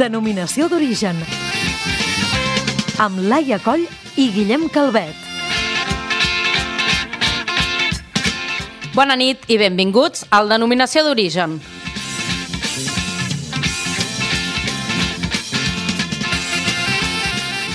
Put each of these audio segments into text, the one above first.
Denominació d'origen. Amb Laia Coll i Guillem Calvet. Bona nit i benvinguts al Denominació d'origen.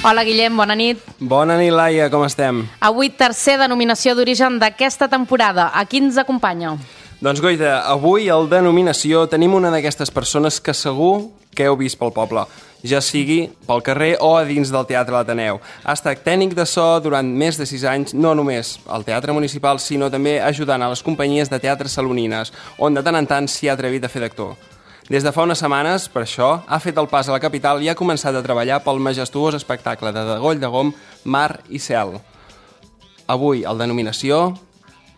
Hola Guillem, bona nit. Bona nit, Laia, com estem? Avui tercer denominació d'origen d'aquesta temporada. A qui ens acompanya? Doncs Goita, avui al Denominació tenim una d'aquestes persones que segur que heu vist pel poble, ja sigui pel carrer o a dins del Teatre l'Ateneu. Ha estat tècnic de so durant més de 6 anys, no només al Teatre Municipal, sinó també ajudant a les companyies de teatre salonines, on de tant en tant s'hi ha atrevit a fer d'actor. Des de fa unes setmanes, per això, ha fet el pas a la capital i ha començat a treballar pel majestuós espectacle de Degoll de Gom, Mar i Cel. Avui, al Denominació,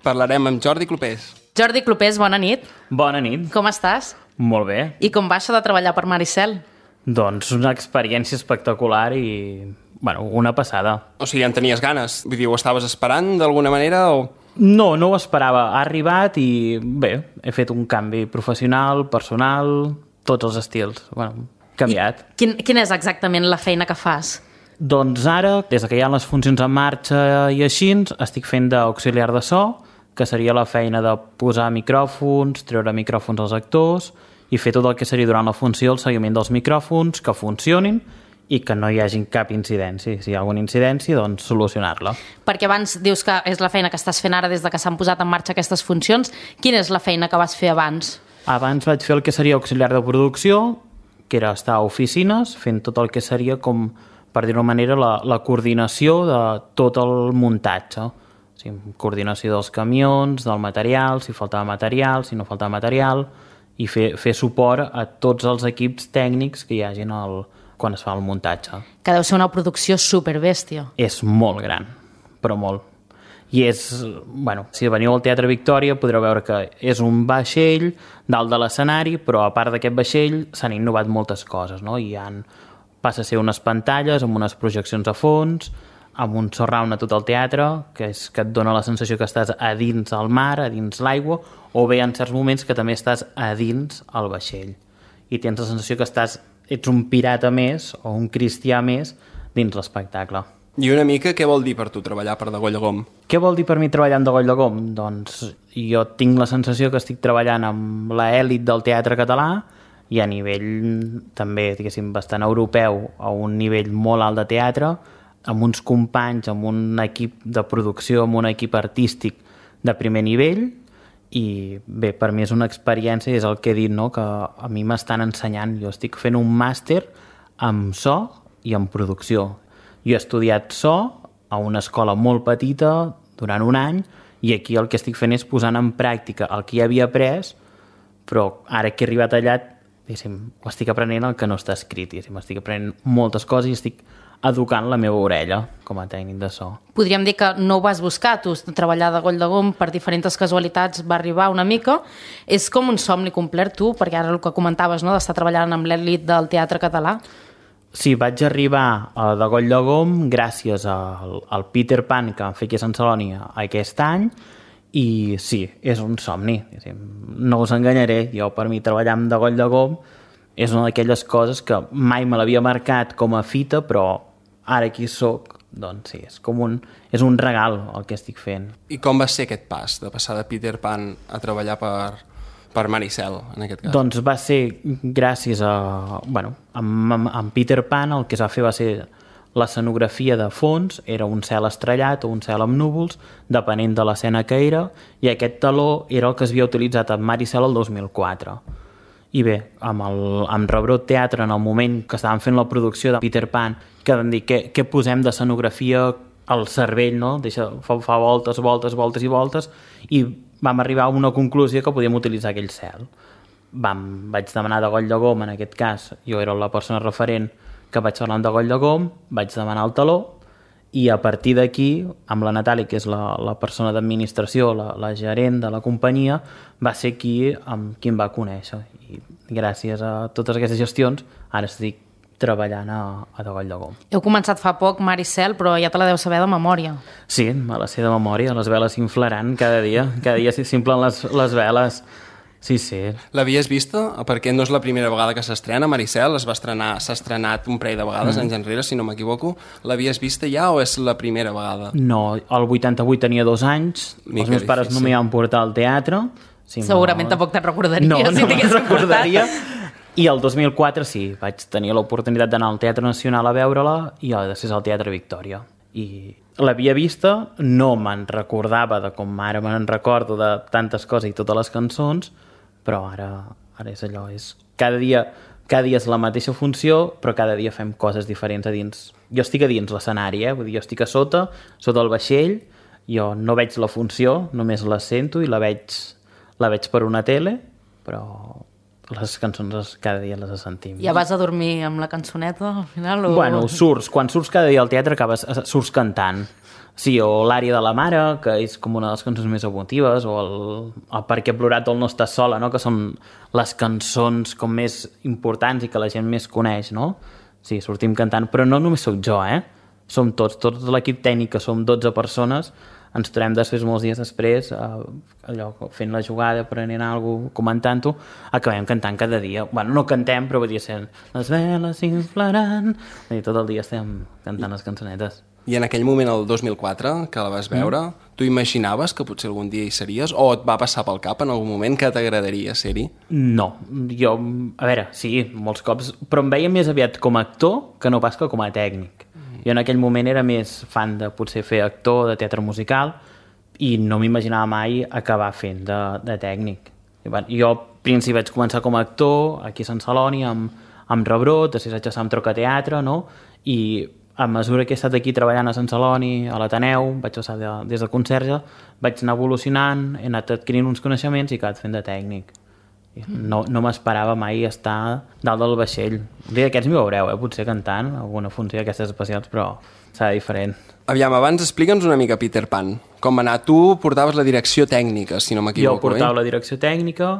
parlarem amb Jordi Clopés. Jordi Clopés, bona nit. Bona nit. Com estàs? Molt bé. I com va això de treballar per Mar i Cel? Doncs una experiència espectacular i, una passada. O sigui, en tenies ganes? Vull dir, ho estaves esperant d'alguna manera o...? No ho esperava. Ha arribat i, bé, he fet un canvi professional, personal, tots els estils. Canviat. Quina és exactament la feina que fas? Doncs ara, des que hi ha les funcions en marxa i així, estic fent d'auxiliar de so, que seria la feina de posar micròfons, treure micròfons als actors i fer tot el que seria durant la funció el seguiment dels micròfons, que funcionin i que no hi hagi cap incidència. Si hi ha alguna incidència, doncs solucionar-la. Perquè abans dius que és la feina que estàs fent ara des de que s'han posat en marxa aquestes funcions. Quina és la feina que vas fer abans? Abans vaig fer el que seria auxiliar de producció, que era estar a oficines, fent tot el que seria, com per dir-ho manera, la coordinació de tot el muntatge. O sigui, coordinació dels camions, del material, si faltava material, si no faltava material, i fer suport a tots els equips tècnics que hi hagin quan es fa el muntatge. Que deu ser una producció superbèstia. És molt gran, però molt. I és, si veniu al Teatre Victòria podreu veure que és un vaixell dalt de l'escenari, però a part d'aquest vaixell s'han innovat moltes coses, no? Passa a ser unes pantalles amb unes projeccions a fons, amb un surround a tot el teatre, que et dona la sensació que estàs a dins el mar, a dins l'aigua, o bé en certs moments que també estàs a dins el vaixell. I tens la sensació que ets un pirata més o un cristià més dins l'espectacle. I una mica, què vol dir per tu treballar per Degoll de Gom? Què vol dir per mi treballar en Degoll de Gom? Doncs jo tinc la sensació que estic treballant amb l'elit del teatre català i a nivell també, diguéssim, bastant europeu, a un nivell molt alt de teatre, amb uns companys, amb un equip de producció, amb un equip artístic de primer nivell, i bé, per mi és una experiència, és el que he dit, no? Que a mi m'estan ensenyant. Jo estic fent un màster en so i en producció. Jo he estudiat so a una escola molt petita durant un any i aquí el que estic fent és posant en pràctica el que ja havia après, però ara que he arribat allà, ho estic aprenent el que no està escrit. Estic aprenent moltes coses i estic educant la meva orella com a tècnic de so. Podríem dir que no ho vas buscar, tu treballar a Degoll de Gom per diferents casualitats va arribar una mica. És com un somni complet, tu, perquè ara el que comentaves, no?, d'estar treballant amb l'elit del teatre català. Sí, vaig arribar a Degoll de Gom gràcies al Peter Pan que vam fer aquí a Sant Celoni aquest any i sí, és un somni. No us enganyaré, jo per mi treballar amb Degoll de Gom és una d'aquelles coses que mai me l'havia marcat com a fita, però ara aquí soc, doncs sí, és un regal el que estic fent. I com va ser aquest pas, de passar de Peter Pan a treballar per Mar i Cel, en aquest cas? Doncs va ser gràcies a... amb Peter Pan el que es va fer va ser l'escenografia de fons, era un cel estrellat o un cel amb núvols, depenent de l'escena que era, i aquest taló era el que es havia utilitzat en Mar i Cel el 2004. I bé, amb Rebrot Teatre, en el moment que estàvem fent la producció de Peter Pan, que vam dir, què posem d'escenografia al cervell, no? Fa voltes, voltes, voltes i voltes, i vam arribar a una conclusió que podíem utilitzar aquell cel. Vaig demanar Degoll de Gom, en aquest cas, jo era la persona referent que vaig parlar amb Degoll de Gom, vaig demanar el taló, i a partir d'aquí, amb la Natàlia, que és la persona d'administració, la gerent de la companyia, va ser qui em va conèixer. I gràcies a totes aquestes gestions, ara estic treballant a Degoll de Gom. Heu començat fa poc Mar i Cel, però ja te la deu saber de memòria. Sí, me la sé de memòria, les veles s'inflaran cada dia s'implen les veles. Sí, sí. L'havies vista? Perquè no és la primera vegada que s'estrena, Maricel, s'ha estrenat un parell de vegades anys enrere, si no m'equivoco. L'havies vista ja o és la primera vegada? No, el 88 tenia 2 anys, els meus pares no m'hi van portar al teatre. Si Segurament tampoc te'n recordaria, no, si t'hagués recordaria. I el 2004 sí, vaig tenir l'oportunitat d'anar al Teatre Nacional a veure-la i després al Teatre Victòria. I l'havia vista, no me'n recordava de com ara me'n recordo de tantes coses i totes les cançons, però ara és allò, cada dia és la mateixa funció, però cada dia fem coses diferents a dins. Jo estic a dins l'escenari, vull dir, jo estic a sota el vaixell, jo no veig la funció, només la sento i la veig per una tele, però les cançons cada dia les sentim. Ja vas a dormir amb la cançoneta al final? O... Bueno, quan surts cada dia al teatre surts cantant. Sí, o l'àrea de la mare, que és com una de les cançons més emotives, o el Per què he plorat o el No estàs sola, no? Que són les cançons com més importants i que la gent més coneix, no? Sí, sortim cantant, però no només sóc jo, Som tots l'equip tècnic, que som 12 persones, ens trobem després, molts dies després, allò, fent la jugada, prenent alguna cosa, comentant-ho, acabem cantant cada dia. Bueno, no cantem, però vull dir, sent les veles s'inflaran, i tot el dia estem cantant les cançonetes. I en aquell moment, el 2004, que la vas veure, tu imaginaves que potser algun dia hi series? O et va passar pel cap en algun moment que t'agradaria ser-hi? No, jo, a veure, sí, molts cops, però em veia més aviat com a actor que no pas que com a tècnic. Jo en aquell moment era més fan de potser fer actor de teatre musical i no m'imaginava mai acabar fent de tècnic. Jo al principi vaig començar com a actor aquí a Sant Celoni amb Rebrot, després vaig passar amb Trocateatre, no? I a mesura que he estat aquí treballant a Sant Celoni, a l'Ateneu, vaig passar des de conserge, vaig anar evolucionant, he anat adquirint uns coneixements i he acabat fent de tècnic. No m'esperava mai estar dalt del vaixell. Un dia d'aquests m'hi veureu, potser cantant alguna funció d'aquestes especials, però serà diferent. Aviam, abans explica'ns una mica Peter Pan. Com va anar? Tu portaves la direcció tècnica, si no m'equivoco. Jo portava la direcció tècnica.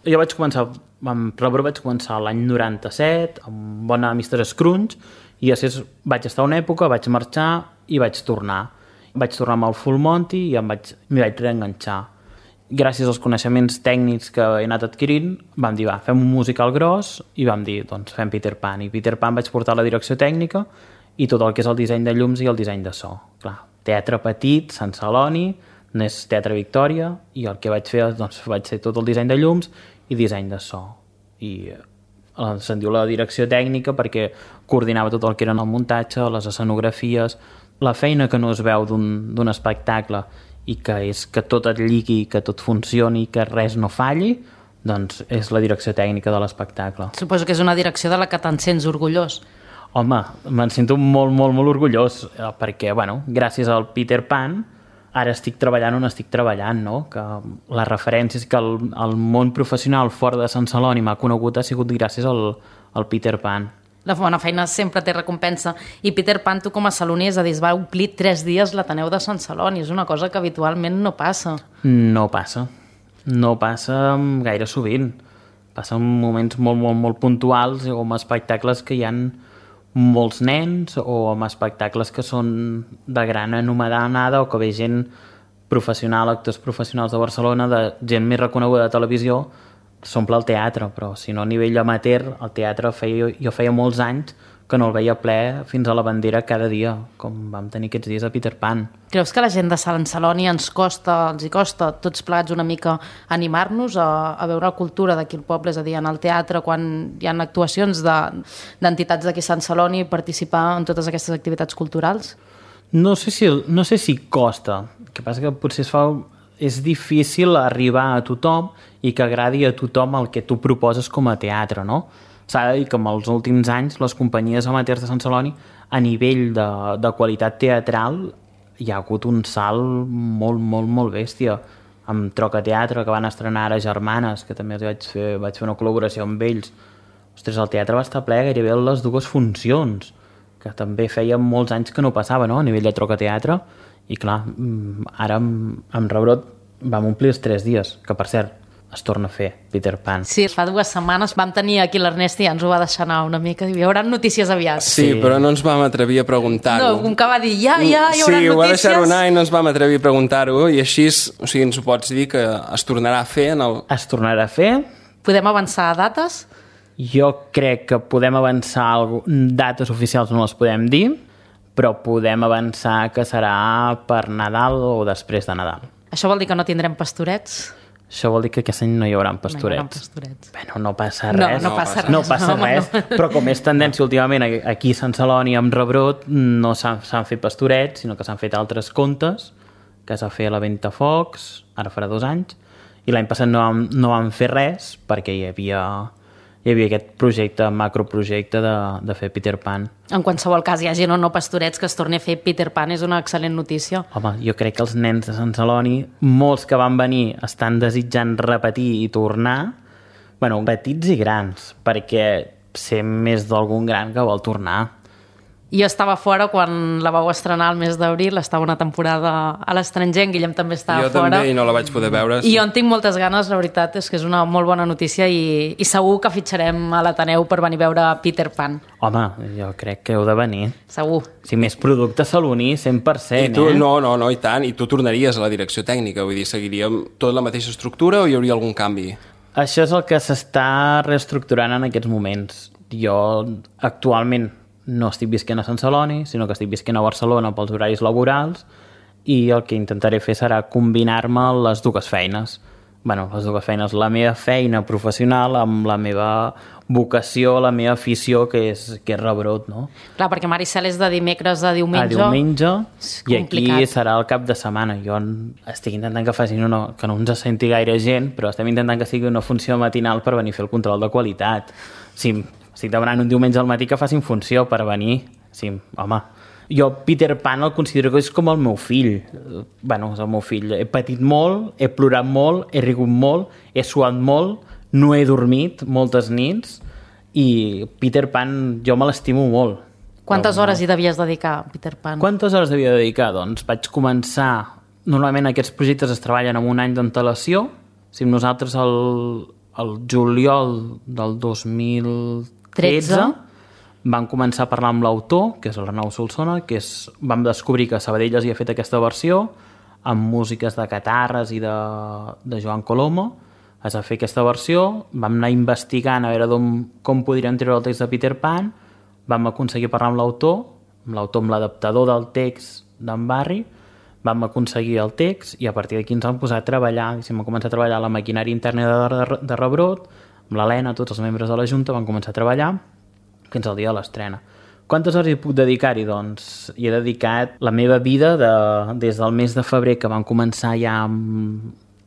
Jo vaig començar, amb Rebrot vaig començar l'any 97, amb Bona Mr. Scrunch, i després vaig estar una època, vaig marxar i vaig tornar. Vaig tornar amb el Full Monty i m'hi vaig reenganxar. Gràcies als coneixements tècnics que he anat adquirint, vam dir, fem un musical gros, i vam dir, doncs fem Peter Pan. I Peter Pan vaig portar la direcció tècnica i tot el que és el disseny de llums i el disseny de so. Clar, teatre petit, Sant Celoni, n'és Teatre Victòria, i el que vaig fer, doncs, vaig fer tot el disseny de llums i disseny de so. I se'n diu la direcció tècnica perquè coordinava tot el que eren el muntatge, les escenografies, la feina que no es veu d'un espectacle i que és que tot et lligui, que tot funcioni, que res no falli, doncs és la direcció tècnica de l'espectacle. Suposo que és una direcció de la que te'n sents orgullós. Home, me'n sento molt, molt, molt orgullós, perquè, bueno, gràcies al Peter Pan, ara estic treballant on estic treballant, no? Que les referències que el món professional fora de Sant Celoni m'ha conegut ha sigut gràcies al Peter Pan. La bona feina sempre té recompensa. I Peter Pan, tu com a saloní, és a dir, es va omplir 3 dies l'Ateneu de Sant Celoni. És una cosa que habitualment no passa. No passa. No passa gaire sovint. Passa en moments molt, molt, molt puntuals o amb espectacles que hi ha molts nens o amb espectacles que són de gran anomenada o que ve gent professional, actors professionals de Barcelona, de gent més reconeguda de televisió, s'omple el teatre, però si no a nivell amateur, el teatre jo feia molts anys que no el veia ple fins a la bandera cada dia, com vam tenir aquests dies a Peter Pan. Creus que la gent de Sant Celoni els hi costa tots plegats una mica animar-nos a veure la cultura d'aquí al poble, és a dir, en el teatre, quan hi ha actuacions d'entitats d'aquí a Sant Celoni, participar en totes aquestes activitats culturals? No sé si costa, el que passa que potser és difícil arribar a tothom i que agradi a tothom el que tu proposes com a teatre, no? S'ha de dir que en els últims anys les companyies amateurs de Sant Celoni a nivell de qualitat teatral hi ha hagut un salt molt, molt, molt bèstia. Amb Trocateatre, que van estrenar ara Germanes, que també vaig fer una col·laboració amb ells. Ostres, el teatre va estar ple gairebé a les 2 funcions, que també feia molts anys que no passava, no?, a nivell de Trocateatre. I clar, ara amb Rebrot vam omplir els 3 dies, que per cert, es torna a fer Peter Pan. Sí, fa 2 setmanes vam tenir aquí l'Ernest i ja ens ho va deixar anar una mica. Hi haurà notícies aviat. Sí, però no ens vam atrevir a preguntar-ho. No, com que va dir, ja hi haurà notícies. Sí, ho va deixar anar i no ens vam atrevir a preguntar-ho, i així, o sigui, ens ho pots dir que es tornarà a fer en el... Es tornarà a fer. Podem avançar dates? Jo crec que podem avançar dates oficials, no les podem dir, però podem avançar que serà per Nadal o després de Nadal. Això vol dir que no tindrem pastorets? Això vol dir que aquest any no hi haurà pastorets. No hi haurà pastorets. Bueno, no passa res. No passa res. No passa res, però com és tendència últimament aquí a Sant Celoni amb Rebrot, no s'han fet pastorets, sinó que s'han fet altres contes, que s'ha fet la Ventafocs, ara farà 2 anys, i l'any passat no vam fer res perquè hi havia aquest projecte, macroprojecte de fer Peter Pan. En qualsevol cas, hi hagi o no pastorets que es torni a fer Peter Pan és una excel·lent notícia. Home, jo crec que els nens de Sant Celoni, molts que van venir, estan desitjant repetir i tornar, bueno, petits i grans, perquè sé més d'algun gran que vol tornar. Jo estava fora quan la vau estrenar el mes d'abril, estava una temporada a l'estranger, en Guillem també estava fora. Jo també, i no la vaig poder veure. I jo en tinc moltes ganes, la veritat és que és una molt bona notícia i segur que fitxarem a l'Ateneu per venir a veure Peter Pan. Home, jo crec que heu de venir. Segur. Si més producte saloní, 100%, I tu, no, i tant. I tu tornaries a la direcció tècnica, vull dir, seguiríem tot la mateixa estructura o hi hauria algun canvi? Això és el que s'està reestructurant en aquests moments. Jo, actualment, no estic visquent a Sant Celoni, sinó que estic visquent a Barcelona pels horaris laborals, i el que intentaré fer serà combinar-me les 2 feines. Bueno, les 2 feines, la meva feina professional amb la meva vocació, la meva afició, que és Rebrot, no? Clar, perquè Maricel és de dimecres a diumenge. A diumenge, i complicat. aquí serà el cap de setmana. Jo estic intentant que facin que no ens senti gaire gent, però estem intentant que sigui una funció matinal per venir a fer el control de qualitat. Sí, estic demanant un diumenge al matí que facin funció per venir. Sí, home, jo Peter Pan el considero que és com el meu fill. Bueno, és el meu fill. He patit molt, he plorat molt, he rigut molt, he suat molt, no he dormit moltes nits, i Peter Pan jo me l'estimo molt. Quantes hores hi devies dedicar a Peter Pan? Quantes hores devia dedicar? Doncs vaig començar... Normalment aquests projectes es treballen amb un any d'antelació. Si nosaltres el juliol del 2013 vam començar a parlar amb l'autor, que és l'Arnau Solsona, vam descobrir que Sabadell havia fet aquesta versió amb músiques de Catarres i de Joan Colomo. Es va fer aquesta versió, vam anar investigant a veure com podríem treure el text de Peter Pan, vam aconseguir parlar amb l'autor, amb l'adaptador del text d'en Barri, vam aconseguir el text i a partir d'aquí ens vam posar a treballar, vam començar a treballar la maquinària interna de Rebrot, amb l'Helena, tots els membres de la Junta van començar a treballar fins al dia de l'estrena. Quantes hores hi puc dedicar-hi? Doncs hi he dedicat la meva vida des del mes de febrer, que vam començar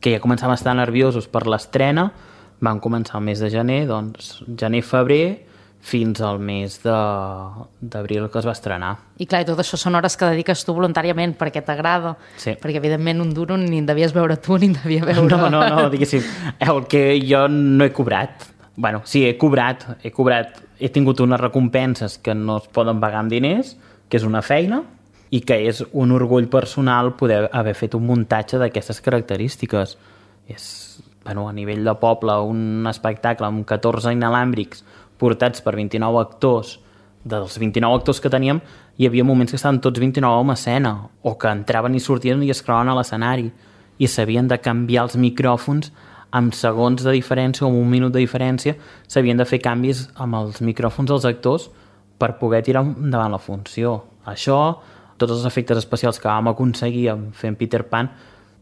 que ja començàvem a estar nerviosos per l'estrena, vam començar el mes de gener, doncs gener-febrer, fins al mes d'abril que es va estrenar. I clar, i tot això són hores que dediques tu voluntàriament perquè t'agrada, sí. Perquè evidentment un duro ni en devies veure tu ni en devia veure... No, diguéssim, el que jo no he cobrat. Bueno, sí, he cobrat, he tingut unes recompenses que no es poden pagar amb diners, que és una feina, i que és un orgull personal poder haver fet un muntatge d'aquestes característiques. És, bueno, a nivell de poble, un espectacle amb 14 inalàmbrics portats per 29 actors. Dels 29 actors que teníem, hi havia moments que estaven tots 29 en escena, o que entraven i sortien i es creuen a l'escenari, i s'havien de canviar els micròfons amb segons de diferència o amb un minut de diferència, s'havien de fer canvis amb els micròfons dels actors per poder tirar endavant la funció. Això, tots els efectes especials que vam aconseguir fent Peter Pan,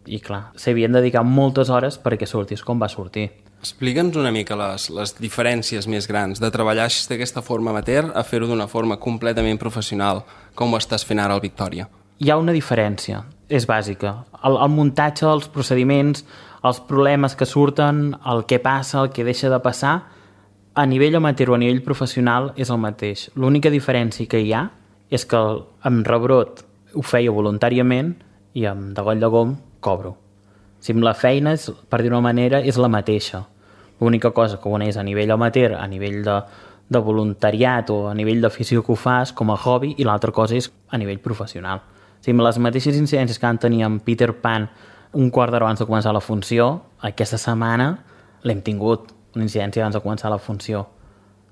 i clar, s'havien dedicat moltes hores perquè sortís com va sortir. Explica'ns una mica les diferències més grans de treballar així d'aquesta forma amateur a fer-ho d'una forma completament professional, com ho estàs fent ara al Victòria. Hi ha una diferència, és bàsica. El muntatge, els procediments, els problemes que surten, el que passa, el que deixa de passar, a nivell amateur o a nivell professional és el mateix. L'única diferència que hi ha és que amb Rebrot ho feia voluntàriament i amb De Goll de Gom cobro. Si amb la feina, per dir-ho d'una manera, és la mateixa. L'única cosa que una és a nivell amateur, a nivell de voluntariat o a nivell d'afició que ho fas com a hobby, i l'altra cosa és a nivell professional. Si amb les mateixes incidències que van tenir amb Peter Pan un quart d'hora abans de començar la funció, aquesta setmana l'hem tingut, una incidència abans de començar la funció.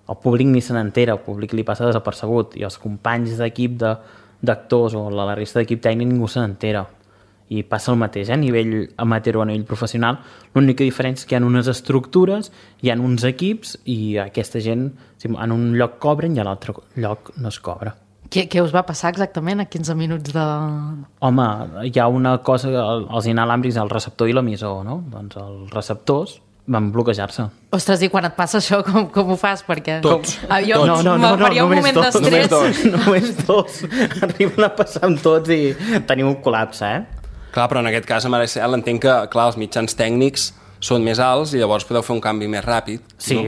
El públic ni se n'entera, el públic li passa desapercebut, i els companys d'equip d'actors o la resta d'equip tècnic ningú se n'entera. I passa el mateix, a nivell amateur o a nivell professional. L'única diferència és que hi ha unes estructures, hi ha uns equips, i aquesta gent en un lloc cobren i a l'altre lloc no es cobra. Què us va passar exactament a 15 minuts de... Home, hi ha una cosa, els inalàmbrics, el receptor i l'emissor, no? Doncs els receptors van bloquejar-se. Ostres, i quan et passa això, com ho fas? Perquè... Tots. Jo faria un moment d'estrès. Només dos. Arriben a passar amb tots i tenim un col·lapse, Clar, però en aquest cas, a Maricel, entenc que, clar, els mitjans tècnics són més alts i llavors podeu fer un canvi més ràpid. Sí,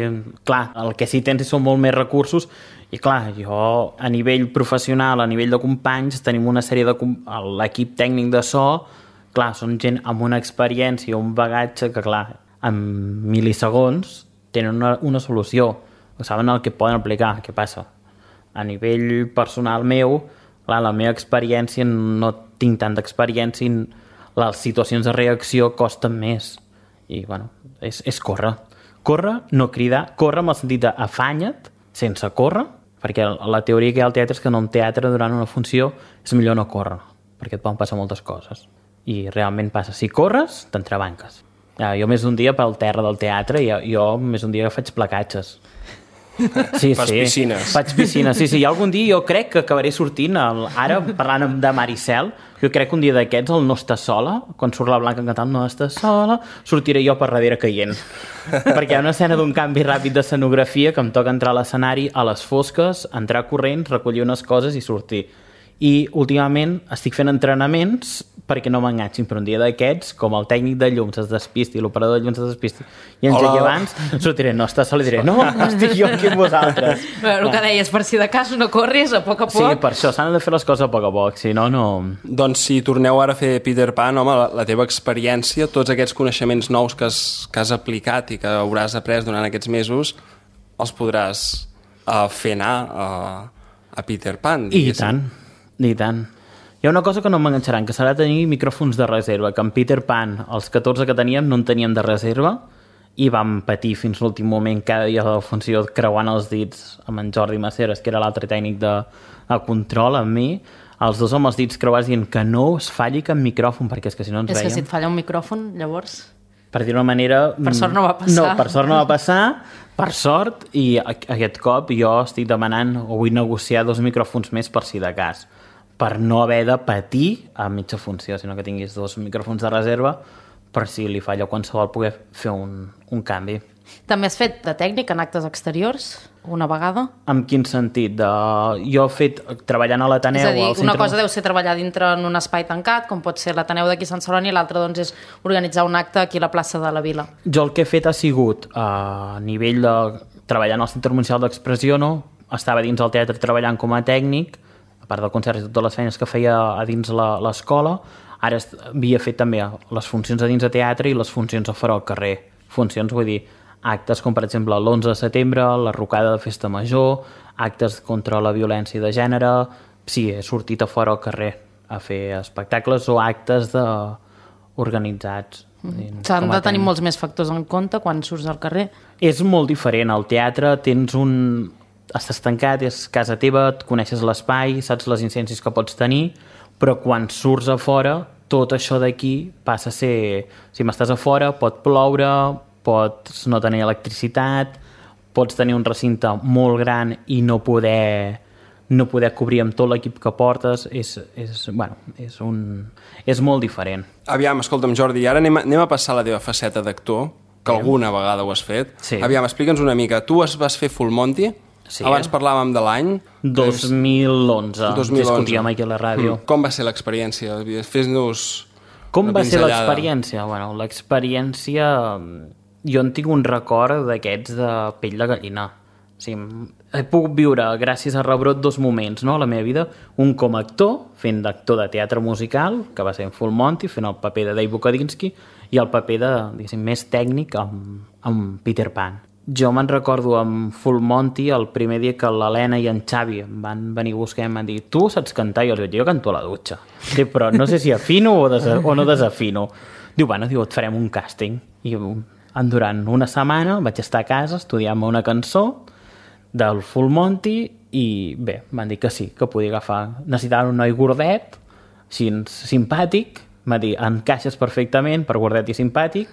clar, el que sí tens són molt més recursos i clar, jo a nivell professional, a nivell de companys, tenim una sèrie de... L'equip tècnic de so, clar, són gent amb una experiència, un bagatge que, clar, en mil·lisegons tenen una solució, saben el que poden aplicar. Què passa? A nivell personal meu, clar, la meva experiència, no tinc tanta experiència, les situacions de reacció costen més. I, bueno, és córrer. Córrer, no cridar, córrer amb el sentit d'afanya't, sense córrer, perquè la teoria que hi ha al teatre és que en un teatre, durant una funció, és millor no córrer, perquè et poden passar moltes coses. I realment passa. Si corres, t'entrebanques. Jo més d'un dia pel terra del teatre, jo més d'un dia faig placatges. Sí, Fas piscines. Faig piscines, sí. I algun dia jo crec que acabaré sortint, ara parlant de Maricel, jo crec que un dia d'aquests, el No estàs sola, quan surt la Blanca cantant No estàs sola, sortiré jo per darrere caient. Perquè hi ha una escena d'un canvi ràpid d'escenografia que em toca entrar a l'escenari a les fosques, entrar corrents, recollir unes coses i sortir. I últimament estic fent entrenaments perquè no m'enganxin, però un dia d'aquests, com el tècnic de llums es despisti, l'operador de llums es despisti, i engegui abans, sortiré, no estàs sol, i diré, no, estic jo aquí amb vosaltres. El que deies, per si de cas no corris a poc a poc. Sí, per això s'han de fer les coses a poc, si no, no... Doncs si torneu ara a fer Peter Pan, home, la teva experiència, tots aquests coneixements nous que has aplicat i que hauràs après durant aquests mesos, els podràs fer anar a Peter Pan. Diguéssim. I tant. Hi ha una cosa que no m'enganxaran, que serà tenir micròfons de reserva, que en Peter Pan, els 14 que teníem, no en teníem de reserva, i vam patir fins l'últim moment cada dia de la funció creuant els dits amb en Jordi Maceres, que era l'altre tècnic de control, amb mi, els dos amb els dits creuats dient que no es falli cap micròfon, perquè és que si no ens veiem... És que si et falla un micròfon, llavors... Per dir-ho d'una manera... Per sort no va passar. No, per sort no va passar, per sort, i aquest cop jo estic demanant o vull negociar 2 micròfons més per si de cas, per no haver de patir a mitja funció, sinó que tinguis 2 micròfons de reserva per si li falla qualsevol poder fer un canvi. També has fet de tècnic en actes exteriors una vegada? En quin sentit? Jo he fet treballant a l'Ateneu... És a dir, una cosa deu ser treballar dintre en un espai tancat, com pot ser l'Ateneu d'aquí a Sant Celoni, i l'altra doncs, és organitzar un acte aquí a la plaça de la Vila. Jo el que he fet ha sigut a nivell de treballar en el Centre Municipal d'Expressió, no? Estava dins el teatre treballant com a tècnic, a part del concert i totes les feines que feia a dins l'escola. Ara havia fet també les funcions a dins de teatre i les funcions a fora al carrer. Funcions, vull dir, actes com per exemple l'11 de setembre, la rocada de festa major, actes contra la violència de gènere. Sí, he sortit a fora al carrer a fer espectacles o actes organitzats. S'han de tenir molts més factors en compte quan surts al carrer. És molt diferent. Al teatre tens estàs tancat, és casa teva, et coneixes l'espai, saps les incidències que pots tenir, però quan surts a fora, tot això d'aquí passa a ser... Si m'estàs a fora, pot ploure, pots no tenir electricitat, pots tenir un recinte molt gran i no poder cobrir amb tot l'equip que portes. És molt diferent. Aviam, escolta'm, Jordi, ara anem a passar a la teva faceta d'actor, que alguna vegada ho has fet. Sí. Aviam, explica'ns una mica. Tu vas fer Full Monty? Sí. Abans parlàvem de l'any. 2011. Discutíem aquí a la ràdio. Com va ser l'experiència? Fes-nos com va ser l'experiència? Bueno, l'experiència... Jo en tinc un record d'aquests de pell de gallina. O sigui, he pogut viure, gràcies a Rebrot, 2 moments, no?, a la meva vida. Un com a actor, fent d'actor de teatre musical, que va ser en Full Monty, fent el paper de Dave Bukadinski, i el paper de, diguéssim, més tècnic amb Peter Pan. Jo me'n recordo amb Full Monty, el primer dia que l'Helena i en Xavi em van venir a buscar i em van dir, tu saps cantar? I els vaig dir, jo canto a la dutxa. Sí, però no sé si afino o no desafino. Diu, bueno, et farem un càsting. I Durant una setmana vaig estar a casa estudiant-me una cançó del Full Monty i bé, van dir que sí, que podia agafar. Necessitaven un noi gordet, així simpàtic, va dir, encaixes perfectament per gordet i simpàtic.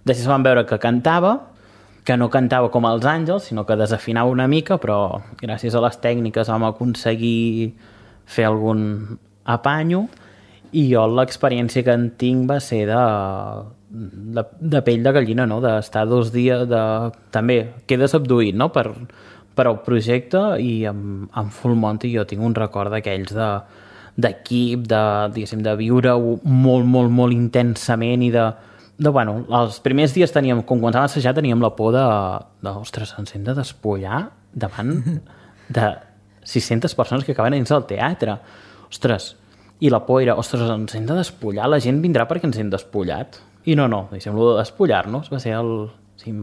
Després van veure que cantava, que no cantava com els Àngels, sinó que desafinava una mica, però gràcies a les tècniques vam aconseguir fer algun apanyo, i jo l'experiència que en tinc va ser de pell de gallina, no? D'estar 2 dies, també quedes abduït, no? per al projecte, i amb Full Monty jo tinc un record d'aquells d'equip, de viure-ho molt, molt, molt intensament, i bueno, els primers dies teníem, com quan vam assajar, teníem la por ostres, ens hem de despullar davant de 600 persones que acaben dins del teatre. Ostres, i la por era, ostres, ens hem de despullar, la gent vindrà perquè ens hem despullat. I no, deixem de despullar-nos, va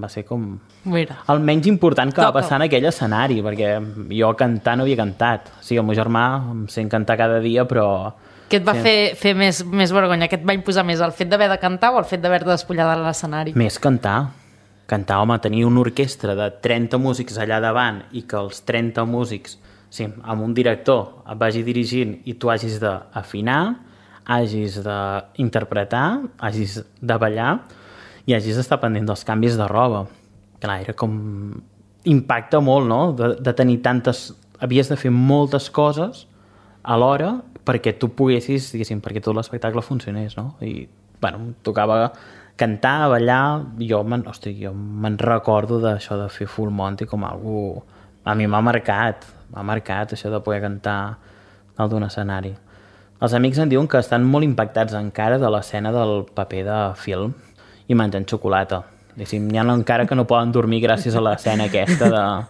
ser com Mira. el menys important que va passar en aquell escenari, perquè jo cantar no havia cantat. Sí, el meu germà em sent cantar cada dia, però... Què et va fer més vergonya? Què et va imposar més? El fet d'haver de cantar o el fet d'haver de despullar de l'escenari? Més cantar. Cantar, home, tenir una orquestra de 30 músics allà davant i que els 30 músics, sí, amb un director et vagi dirigint i tu hagis d'afinar, hagis d'interpretar, hagis de ballar i hagis d'estar pendent dels canvis de roba. Clar, era com... Impacta molt, no?, de tenir tantes... Havies de fer moltes coses alhora perquè tu poguessis, diguéssim, perquè tot l'espectacle funcionés, no? I, bueno, tocava cantar, ballar... Jo me'n recordo d'això de fer Full Monty com algo... A mi m'ha marcat això de poder cantar dalt d'un escenari. Els amics em diuen que estan molt impactats encara de l'escena del paper de film i menjant xocolata. N'hi ha encara que no poden dormir gràcies a l'escena aquesta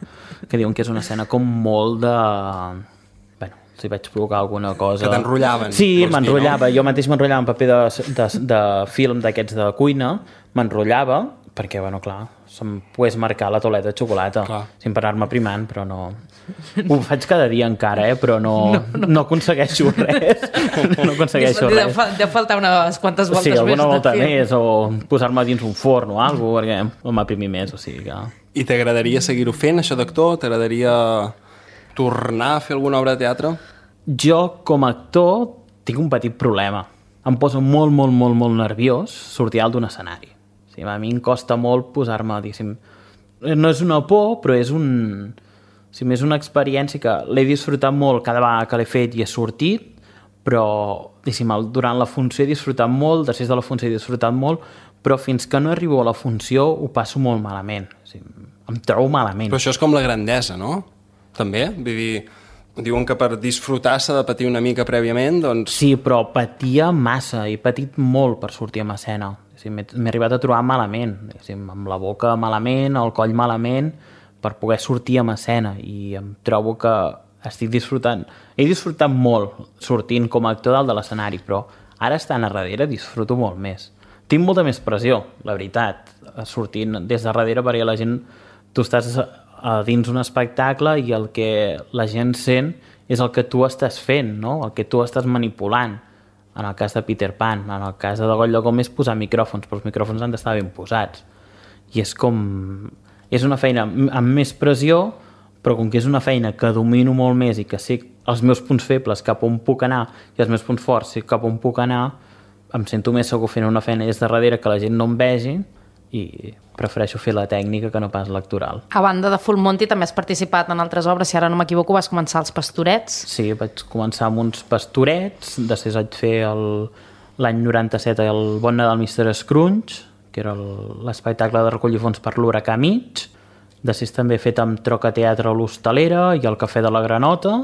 que diuen que és una escena com molt de... Bueno, si vaig provocar alguna cosa... Que t'enrotllaven. Sí, m'enrotllava. Jo mateix m'enrotllava en paper de film d'aquests de cuina, m'enrotllava perquè, bueno, clar, se'm pogués marcar la tauleta de xocolata, sin parar-me primant, però no... Ho faig cada dia encara, però no aconsegueixo res. No aconsegueixo res. Deu faltar unes quantes voltes més. Sí, alguna volta més, o posar-me dins un forn o alguna cosa, perquè m'aprimir més, o sigui que... I t'agradaria seguir-ho fent, això d'actor? T'agradaria tornar a fer alguna obra de teatre? Jo, com a actor, tinc un petit problema. Em poso molt, molt, molt, molt nerviós sortir alt d'un escenari. O sigui, a mi em costa molt posar-me, diguéssim... No és una por, però és un... Sí, és una experiència que l'he disfrutat molt cada vegada que l'he fet i he sortit, però durant la funció he disfrutat molt, després de la funció he disfrutat molt, però fins que no arribo a la funció ho passo molt malament. Em trobo malament. Però això és com la grandesa, no? També? Vull dir, diuen que per disfrutar s'ha de patir una mica prèviament, doncs... Sí, però patia massa, he patit molt per sortir a escena. M'he arribat a trobar malament, amb la boca malament, el coll malament, per poder sortir a escena, i em trobo que estic disfrutant. He disfrutat molt sortint com a actor dalt de l'escenari, però ara estant a darrere disfruto molt més. Tinc molta més pressió, la veritat, sortint des de darrere, perquè la gent... Tu estàs dins un espectacle i el que la gent sent és el que tu estàs fent, no? El que tu estàs manipulant. En el cas de Peter Pan, en el cas de Goll de Gom és posar micròfons, però els micròfons han d'estar ben posats. I és com... És una feina amb més pressió, però com que és una feina que domino molt més i que sé els meus punts febles cap on puc anar i els meus punts forts sé cap on puc anar, em sento més segur fent una feina des de darrere que la gent no em vegi, i prefereixo fer la tècnica que no pas l'actoral. A banda de Full Monty també has participat en altres obres, si ara no m'equivoco vas començar als Pastorets. Sí, vaig començar amb uns Pastorets, després vaig fer l'any 97 el Bon Nadal Mr. Scrooge, que era l'espectacle de recollir fons per l'Huracà Mig. Després també he fet amb Troca Teatre a l'Hostalera i el Cafè de la Granota,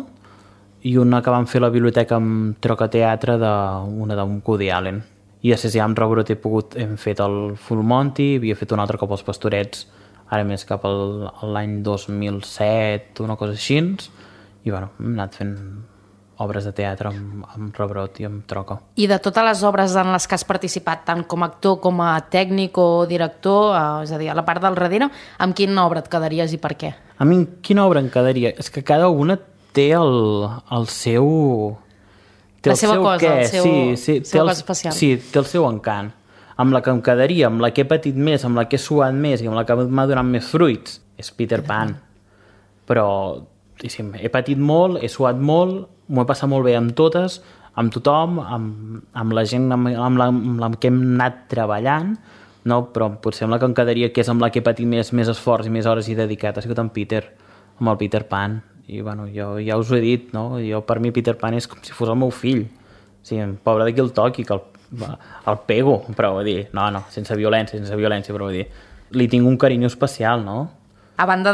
i una que vam fer a la biblioteca amb Troca Teatre una d'un Woody Allen. I després ja amb Rebrot hem fet el Full Monty, havia fet un altre cop als Pastorets, ara més cap a l'any 2007, una cosa així, i bueno, hem anat fent obres de teatre amb Rebrot i amb Troca. I de totes les obres en les que has participat, tant com a actor com a tècnic o director, és a dir, a la part del darrere, amb quina obra et quedaries i per què? A mi quina obra em quedaria? És que cada una té el seu... La seva cosa, el seu cosa especial. Sí, té el seu encant. amb la que em quedaria, amb la que he patit més, amb la que he suat més i amb la que m'ha donat més fruits, és Peter Pan. Però he patit molt, he suat molt, m'ho he passat molt bé amb totes, amb tothom, amb la gent amb la que hem anat treballant, no? Però potser amb la que em quedaria, que és amb la que he patit més esforç i més hores i dedicat, ha sigut amb el Peter Pan. I bueno, jo ja us ho he dit, no? Per mi Peter Pan és com si fos el meu fill. O sigui, pobre de qui el toqui, que el pego, però vull dir, no, sense violència, però vull dir, li tinc un carinyo especial, no? A banda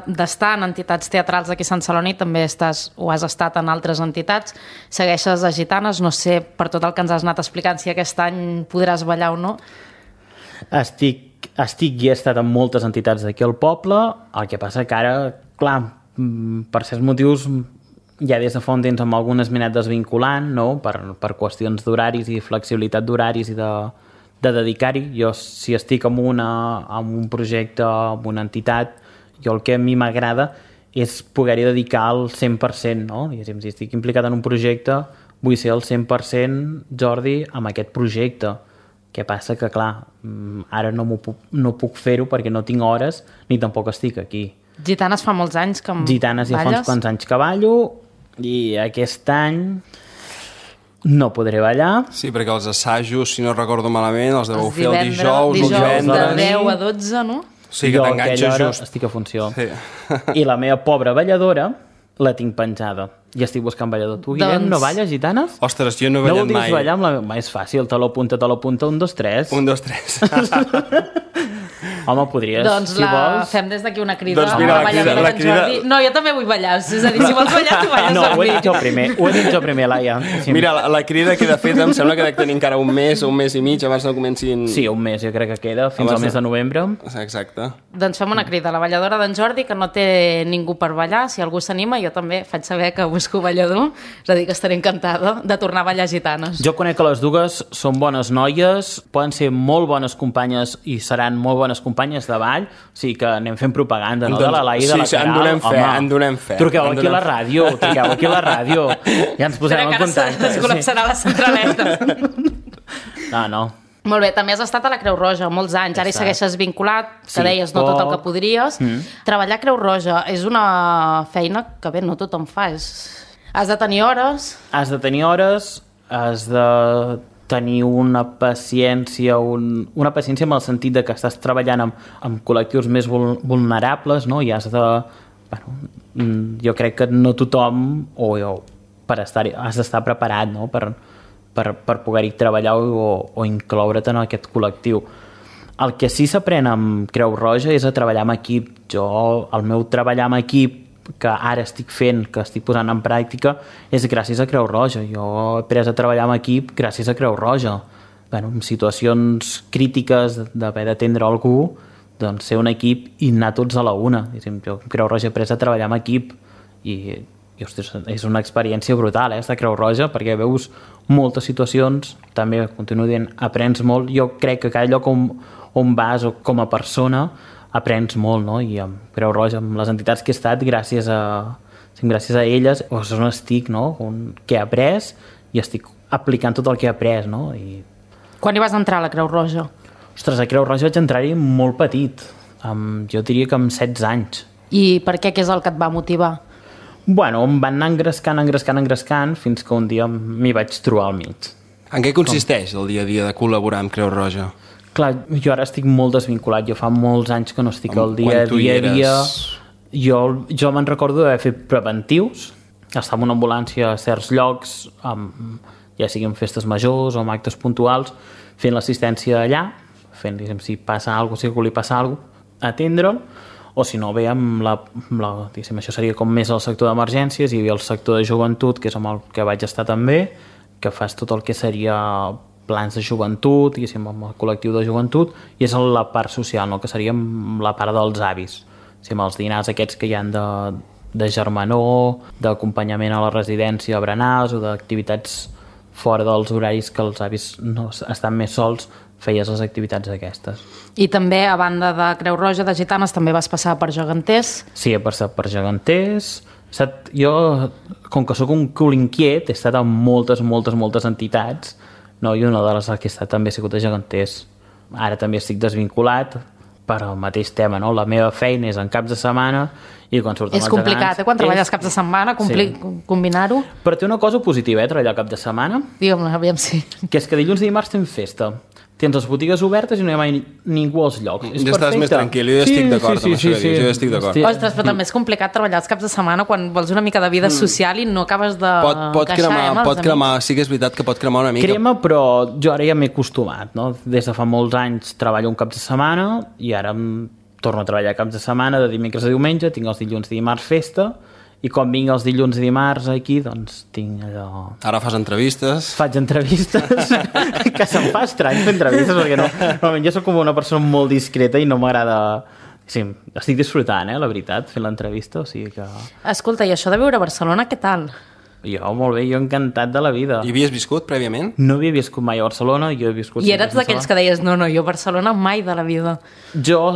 d'estar en entitats teatrals aquí a Sant Celoni, també has estat en altres entitats, segueixes a Gitanes, no sé, per tot el que ens has anat explicant, si aquest any podràs ballar o no. Estic i he estat en moltes entitats d'aquí al poble, el que passa que ara, clar, per certs motius, ja des de fa un temps amb algunes m'he anat desvinculant, no? Per qüestions d'horaris i flexibilitat d'horaris i de dedicar-hi. Jo, si estic en un projecte, en una entitat, jo el que a mi m'agrada és poder-hi dedicar el 100%, no? Diguéssim, si estic implicat en un projecte, vull ser el 100% Jordi amb aquest projecte. Què passa? Que, clar, ara no puc fer-ho perquè no tinc hores ni tampoc estic aquí. Gitanes fa molts anys que balles? Gitanes ja fa uns quants anys que ballo i aquest any no podré ballar. Sí, perquè els assajos, si no recordo malament, els deveu fer el dijous de 10 a 12, no? Sí, que t'enganxes just. Estic a funció. Sí. I la meva pobra balladora la tinc penjada. I estic buscant ballador. Tu, Guillem, no balles, Gitanes? Ostres, jo no he ballat mai. No voldries ballar amb la... És fàcil, te l'apunta, 1, 2, 3. 1, 2, 3. Home, podries, doncs si vols. fem des d'aquí una crida. Doncs mira, la crida... No, jo també vull ballar. És a dir, si vols ballar, tu balles no, amb mi. Ho he dit jo primer, Laia. Sí. Mira, la crida queda feta, em sembla que dec tenir encara un mes o un mes i mig abans no comencin... Sí, un mes, jo crec que queda, fins al mes de novembre. Exacte. Doncs fem una crida a la balladora d'en Jordi, que no té ningú per ballar. Si algú s'anima, jo també faig saber que busco ballador. És a dir, que estaré encantada de tornar a ballar Gitanes. Jo conec que les dues són bones noies, poden ser molt bones companyes i seran molt bones companyes de ball, o sigui que anem fent propaganda, no? De la Laia i de la Caral. Sí, en donem fe. Truqueu aquí a la ràdio, ja ens posarem en contacte. Es col·lapsarà la centraleta. No. Molt bé, també has estat a la Creu Roja molts anys, ara hi segueixes vinculat, que deies no tot el que podries. Treballar a Creu Roja és una feina que bé, no tothom fa. Has de tenir hores. Has de tenir una paciència amb el sentit de que estàs treballant amb col·lectius més vulnerables, no? I has de... Bueno, jo crec que no tothom has d'estar preparat, no? per poder-hi treballar o incloure't en aquest col·lectiu. El que sí s'aprèn amb Creu Roja és a treballar amb equip. El meu treballar amb equip que ara estic fent, que estic posant en pràctica, és gràcies a Creu Roja. Jo he après a treballar amb equip gràcies a Creu Roja. En situacions crítiques d'haver d'atendre algú, doncs ser un equip i anar tots a la una. Jo a Creu Roja he après a treballar amb equip i ostres, és una experiència brutal, estar a Creu Roja, perquè veus moltes situacions, també, continuo dient, aprens molt. Jo crec que cada lloc on vas o com a persona aprens molt, no? I amb Creu Roja, amb les entitats que he estat, gràcies a elles, és on estic, no? Que he après i estic aplicant tot el que he après, no? Quan hi vas entrar a la Creu Roja? Ostres, a Creu Roja vaig entrar-hi molt petit, jo diria que amb 16 anys. I per què? Què és el que et va motivar? Bueno, em van anar engrescant, fins que un dia m'hi vaig trobar al mig. En què consisteix el dia a dia de col·laborar amb Creu Roja? Clar, jo ara estic molt desvinculat, jo fa molts anys que no estic al dia a dia. Jo me'n recordo d'haver fet preventius, estar en una ambulància a certs llocs, ja sigui en festes majors o en actes puntuals, fent l'assistència allà, fent, si passa alguna cosa, si algú li passa alguna cosa, atendre'l, o si no, bé, això seria com més el sector d'emergències, hi havia el sector de joventut, que és amb el que vaig estar també, que fas tot el que seria plans de joventut, amb el col·lectiu de joventut, i és la part social, no? Que seria la part dels avis, amb els dinars aquests que hi ha de germanor, d'acompanyament a la residència a berenars o d'activitats fora dels horaris que els avis no estan més sols, feies les activitats aquestes. I també, a banda de Creu Roja, de Gitanes, també vas passar per Geganters? Sí, he passat per Geganters. Jo, com que sóc un cul inquiet, he estat en moltes entitats no? I una de les que he estat també ha sigut a Geganters. Ara també estic desvinculat per al mateix tema, no? La meva feina és en caps de setmana i quan surten els gegants... És complicat, quan treballes caps de setmana, combinar-ho. Però té una cosa positiva, treballar cap de setmana. Digue'm-la, aviam si... Que és que dilluns i dimarts tens festa. Tens les botigues obertes i no hi ha mai ningú als llocs. És ja estàs més tranquil, jo ja estic d'acord amb això que dius, jo ja estic d'acord. Ostres, però també és complicat treballar els caps de setmana quan vols una mica de vida social i no acabes de pot cremar, sí que és veritat que pot cremar una mica. Crema, però jo ara ja m'he acostumat, no? Des de fa molts anys treballo un cap de setmana i ara torno a treballar caps de setmana de dimecres a diumenge, tinc els dilluns i dimarts festa, i quan vinc els dilluns i dimarts aquí, doncs tinc allò... Ara fas entrevistes. Faig entrevistes, que se'm fa estrany fer entrevistes, perquè normalment jo soc com una persona molt discreta i no m'agrada... Sí, estic disfrutant, la veritat, fent l'entrevista, o sigui que... Escolta, i això de viure a Barcelona, què tal? Jo, molt bé, jo encantat de la vida. Hi havies viscut prèviament? No havia viscut mai a Barcelona, jo he viscut... I eres d'aquells que deies, no, jo a Barcelona mai de la vida. Jo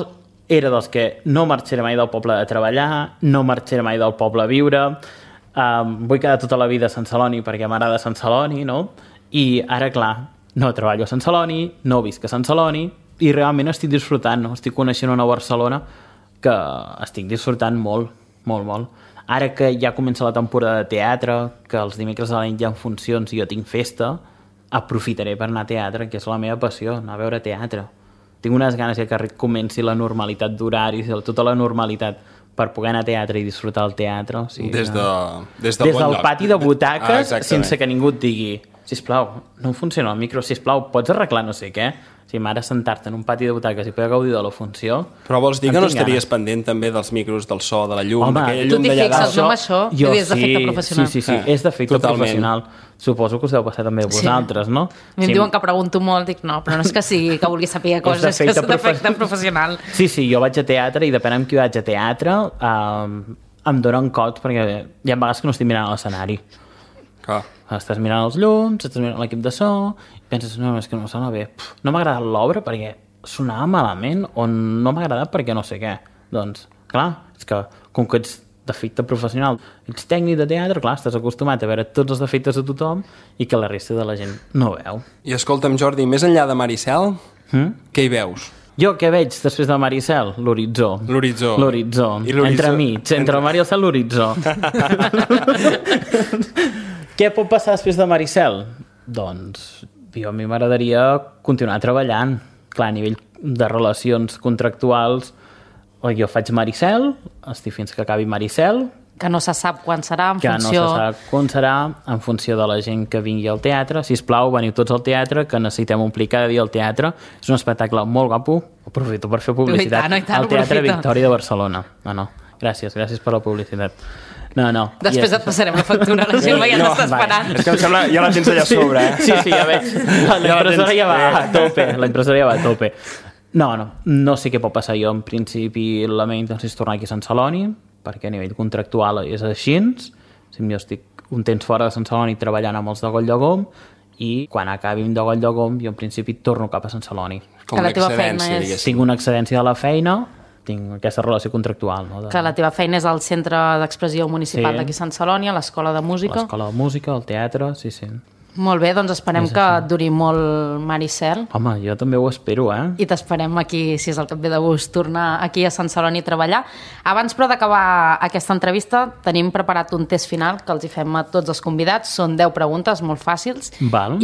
era dels que no marxaré mai del poble a treballar, no marxaré mai del poble a viure, vull quedar tota la vida a Sant Celoni perquè m'agrada Sant Celoni, no? I ara, clar, no treballo a Sant Celoni, no visc a Sant Celoni, i realment estic disfrutant, no? Estic coneixent una Barcelona que estic disfrutant molt, molt, molt. Ara que ja comença la temporada de teatre, que els dimecres a la nit hi ha funcions i jo tinc festa, aprofitaré per anar a teatre, que és la meva passió, anar a veure teatre. Tinc unes ganes que comenci la normalitat d'horaris, tota la normalitat per poder anar a teatre i disfrutar el teatre. O sigui, des del pati de butaques, sense que ningú et digui sisplau, no funciona el micro, sisplau, pots arreglar no sé què? O sigui, ara sentar-te en un pati de butaques i poder gaudir de la funció... Però vols dir que no estaries pendent també dels micros, del so, de la llum, d'aquella llum d'allà dalt? Tu t'hi fixes, no, amb això? Jo és d'efecte professional. Sí, és d'efecte professional. Suposo que us deu passar també a vosaltres, no? A mi em diuen que pregunto molt, dic no, però no és que sigui que vulgui saber coses, és que és d'efecte professional. Sí, jo vaig a teatre i depèn amb qui vaig a teatre em donen cots perquè hi ha vegades que no estic mirant l'escenari. Clar. Estàs mirant els llums, estàs mirant l'equip de so i penses, no, és que no sona bé. No m'ha agradat l'obra perquè sonava malament o no m'ha agradat perquè no sé què. Doncs, clar, és que com que ets d'efecte professional, ets tècnic de teatre, clar, estàs acostumat a veure tots els defectes de tothom i que la resta de la gent no veu. I escolta'm, Jordi, més enllà de Maricel, què hi veus? Jo què veig després de Maricel? L'horitzó. L'horitzó. Entremig, entre el mar i el cel, l'horitzó. Què pot passar després de Maricel? Doncs a mi m'agradaria continuar treballant. Clar, a nivell de relacions contractuals, jo faig Maricel, estic fins que acabi Maricel, que no se sap quan serà en funció... Que no se sap quan serà en funció de la gent que vingui al teatre. Sisplau, veniu tots al teatre, que necessitem omplir cada dia el teatre. És un espectacle molt guapo. Aprofito per fer publicitat. Al Teatre Victòria de Barcelona. No. Gràcies per la publicitat. No. Després et passarem la factura, la gent ja t'està esperant. És que em sembla, ja la tens allà a sobre, Sí, ja veig. La impressora ja va a tope. No sé què pot passar. Jo, en principi, la meva intenció és tornar aquí a Sant Celoni, perquè a nivell contractual és així. Jo estic un temps fora de Sant Celoni treballant amb els de Goll-Llagom i quan acabim de Goll-Llagom jo en principi torno cap a Sant Celoni. Com una excedència, diguéssim. Tinc una excedència de la feina, tinc aquesta relació contractual. No? Que la teva feina és al Centre d'Expressió Municipal d'aquí a Sant Celoni, a l'Escola de Música. L'Escola de Música, el teatre, sí. Molt bé, doncs esperem que duri molt Maricel. Home, jo també ho espero, I t'esperem aquí, si és el que et ve de gust, tornar aquí a Sant Celoni a treballar. Abans, però, d'acabar aquesta entrevista, tenim preparat un test final que els hi fem a tots els convidats. Són 10 preguntes molt fàcils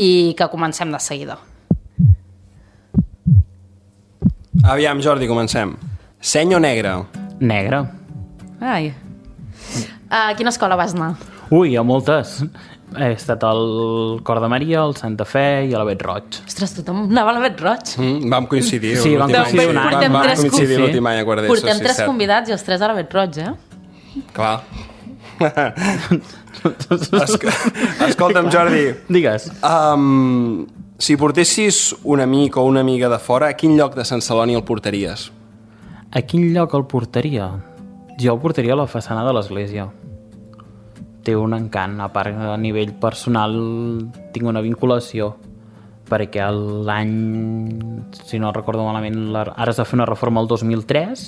i que comencem de seguida. Aviam, Jordi, comencem. Seny o negre? Negre. Ai. A quina escola vas anar? Ui, a moltes. He estat al Cor de Maria, al Santa Fe i a la Bet Roig. Ostres, tothom anava a la Bet Roig? Vam coincidir. Sí, vam coincidir l'últim any a quart d'ESO. Portem 3 convidats i els 3 a la Bet Roig, Clar. Escolta'm, Jordi. Digues. Si portessis un amic o una amiga de fora, a quin lloc de Sant Celoni el portaries? A quin lloc el portaria? Jo el portaria a la façana de l'església. Té un encant, a part a nivell personal tinc una vinculació perquè l'any, si no recordo malament, ara es va fer una reforma el 2003,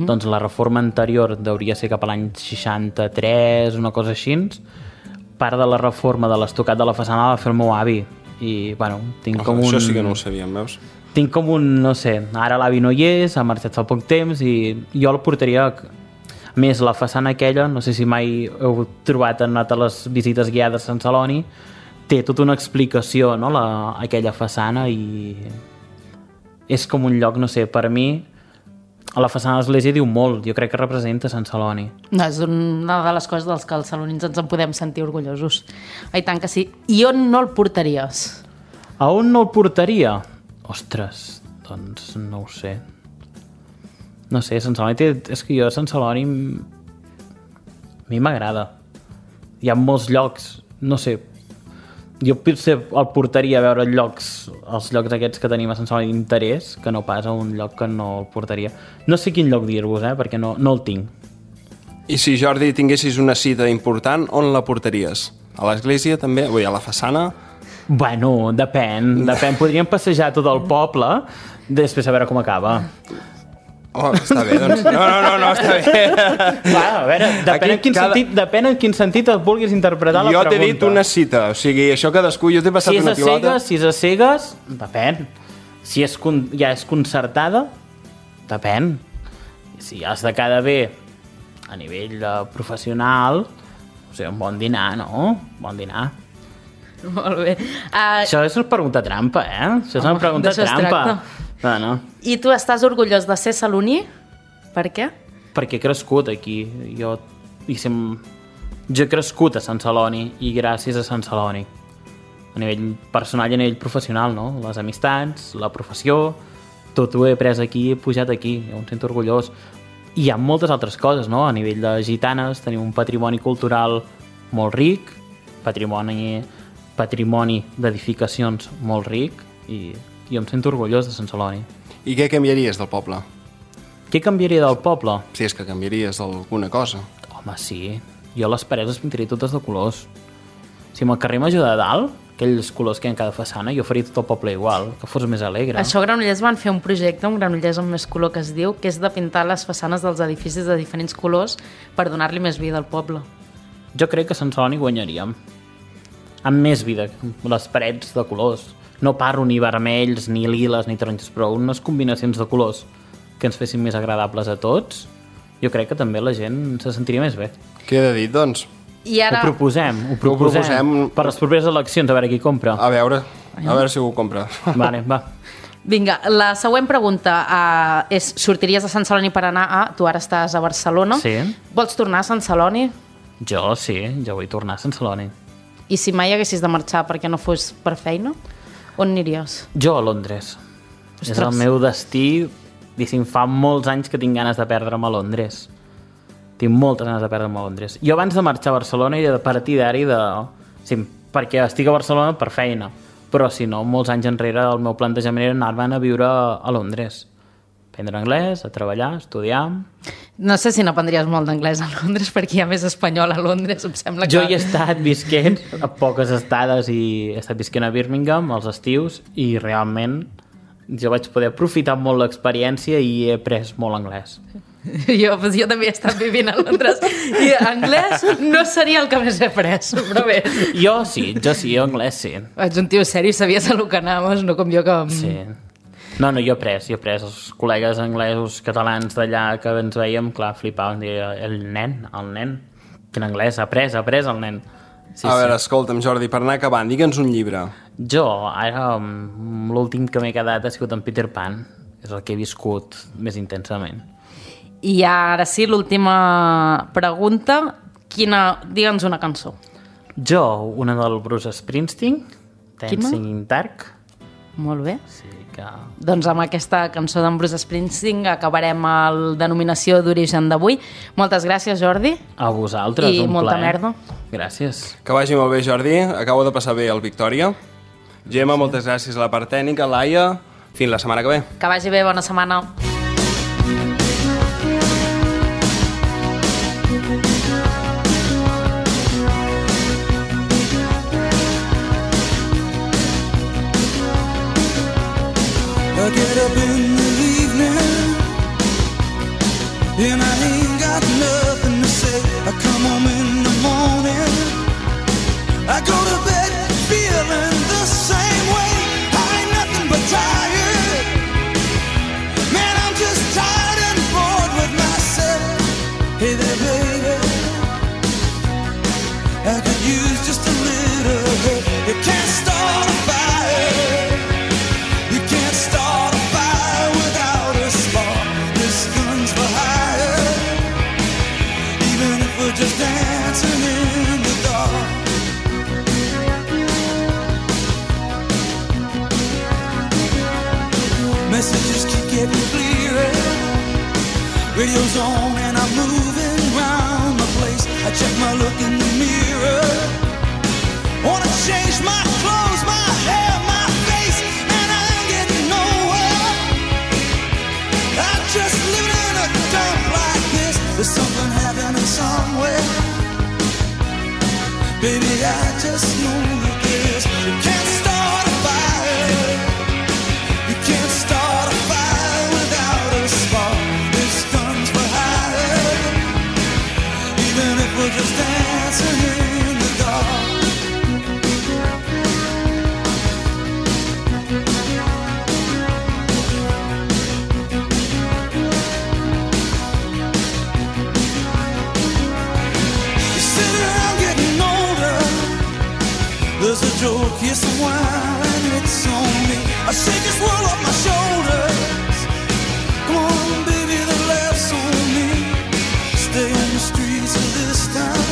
doncs la reforma anterior hauria ser cap a l'any 63, una cosa així. Part de la reforma de l'estucat de la façana la va fer el meu avi i, bueno, tinc com un... Això sí que no ho sabíem, veus? Tinc com un, no sé, ara l'avi no hi és, ha marxat fa poc temps i jo el portaria... A més, la façana aquella, no sé si mai heu trobat, han anat a les visites guiades a Sant Celoni, té tota una explicació, no?, aquella façana, i és com un lloc, no sé, per mi, a la façana de l'església diu molt, jo crec que representa Sant Celoni. No, és una de les coses dels que els salonins ens en podem sentir orgullosos. I tant que sí. I on no el portaries? A on no el portaria? Ostres, doncs no ho sé. No sé, Sant Celoni té... És que jo a Sant Celoni a mi m'agrada. Hi ha molts llocs, no sé, jo potser el portaria a veure els llocs aquests que tenim a Sant Celoni d'interès, que no pas a un lloc que no el portaria. No sé quin lloc dir-vos, perquè no el tinc. I si, Jordi, tinguessis una cita important, on la portaries? A l'església també? Vull dir, a la façana? Bueno, depèn. Podríem passejar tot el poble, després a veure com acaba. Oh, està bé, doncs. No, està bé. Va, a veure, depèn en quin sentit et vulguis interpretar la pregunta. Jo t'he dit una cita, o sigui, això cadascú, jo t'he passat una pilota. Si és a cegues, depèn. Si ja és concertada, depèn. Si has de quedar bé a nivell professional, o sigui, un bon dinar, no? Bon dinar. Molt bé. Això és una pregunta trampa, Això és una pregunta trampa. No. I tu estàs orgullós de ser saloní? Per què? Perquè he crescut aquí. Jo he crescut a Sant Celoni i gràcies a Sant Celoni. A nivell personal i a nivell professional, no? Les amistats, la professió, tot ho he après aquí, he pujat aquí. Jo em sento orgullós. I hi ha moltes altres coses, no? A nivell de gitanes tenim un patrimoni cultural molt ric, patrimoni d'edificacions molt ric, i jo em sento orgullós de Sant Celoni. I què canviaries del poble? Què canviaria del poble? Si és que canviaries alguna cosa. Home, sí. Jo les parets les pintaria totes de colors. Si amb el carrer Major de dalt, aquells colors que hi ha en cada façana, jo faria tot el poble igual, que fos més alegre. Això a Granollers van fer un projecte, un Granollers amb més color que es diu, que és de pintar les façanes dels edificis de diferents colors per donar-li més vida al poble. Jo crec que a Sant Celoni guanyaríem. Amb més vida, les parets de colors. No parlo ni vermells, ni liles, ni taronges, però unes combinacions de colors que ens fessin més agradables a tots, jo crec que també la gent se sentiria més bé. Queda dit, doncs. I ara... Ho proposem per les properes eleccions, a veure qui compra. A veure si ho compra. Vale, va. Vinga, la següent pregunta és: sortiries a Sant Celoni per anar a... Tu ara estàs a Barcelona. Sí. Vols tornar a Sant Celoni? Jo sí, jo vull tornar a Sant Celoni. I si mai haguessis de marxar perquè no fos per feina, on aniries? Jo a Londres. Ostres. És el meu destí. Diguéssim, fa molts anys que tinc ganes de perdre'm a Londres. Tinc moltes ganes de perdre'm a Londres. Jo abans de marxar a Barcelona i de partidari sí, perquè estic a Barcelona per feina, però si no, molts anys enrere el meu plantejament era anar-me'n a viure a Londres. Aprendre anglès, a treballar, a estudiar... No sé si n'aprendries molt d'anglès a Londres, perquè hi ha més espanyol a Londres, em sembla que... Jo hi he estat visquent a poques estades i he estat visquent a Birmingham als estius i realment jo vaig poder aprofitar molt l'experiència i he après molt anglès. Jo també he estat vivint a Londres i anglès no seria el que més he après, però bé. Jo anglès sí. Ets un tio seri, sabies a lo que anaves, no com jo que... Sí. No, jo he après els col·legues anglesos, catalans d'allà que ens veiem, clar, flipaven, el nen, quin anglès, ha après el nen. Sí, a veure, escolta'm, Jordi, per anar acabant, digue'ns un llibre. Jo, ara, l'últim que m'he quedat ha sigut en Peter Pan, és el que he viscut més intensament. I ara sí, l'última pregunta, digue'ns una cançó. Jo, una del Bruce Springsteen, Dancing in Dark. Molt bé. Sí, que... Doncs amb aquesta cançó d'en Bruce Springsteen acabarem el Denominació d'Origen d'avui. Moltes gràcies, Jordi. A vosaltres, i un plaer. I molta merda. Gràcies. Que vagi molt bé, Jordi. Acabo de passar bé el Victòria. Gemma, moltes gràcies a la part tècnica. Laia, fins la setmana que ve. Que vagi bé, bona setmana. I get up in the evening and I ain't got nothing to say. I come home in the morning, I go to bed feeling the same. tired. Man, I'm just tired and bored with myself. Hey there, baby, I could use just a little help. You can't start a fire. You can't start a fire without a spark. This gun's for hire. Even if we're just dancing in the dark. Messages keep getting clearer. Radio's on and I'm moving round the place. I check my look in the mirror. Wanna change my clothes, my hair, my face, and I ain't getting nowhere. I'm just living in a dump like this. There's something happening somewhere. Baby, I just know that this. You can't start a fire. You can't start a fire without a spark. This gun's for hire. Even if we're just dancing in the dark. You sit around getting older. There's a joke, here's some wine, and it's on me. I shake this world off my shoulders. Come on, baby, the laughs on me. Stay on the streets of this town,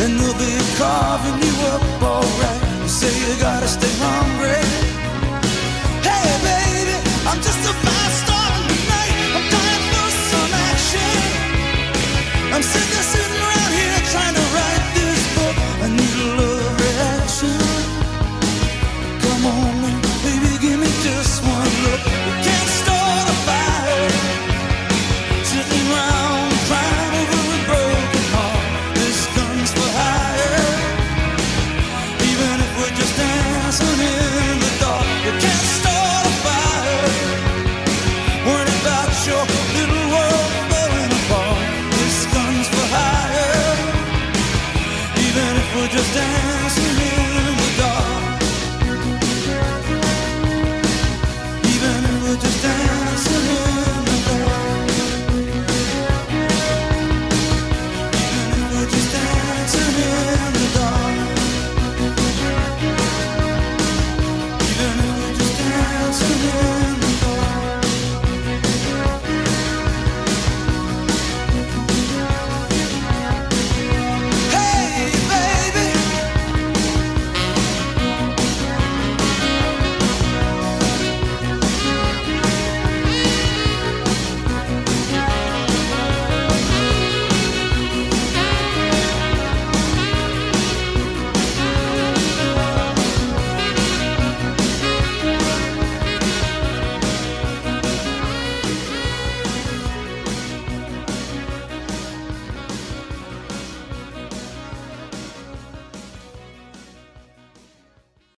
and they'll be carving you up alright. You say you gotta stay hungry. Hey, baby, I'm just about starting tonight. I'm dying for some action. I'm sick of sitting around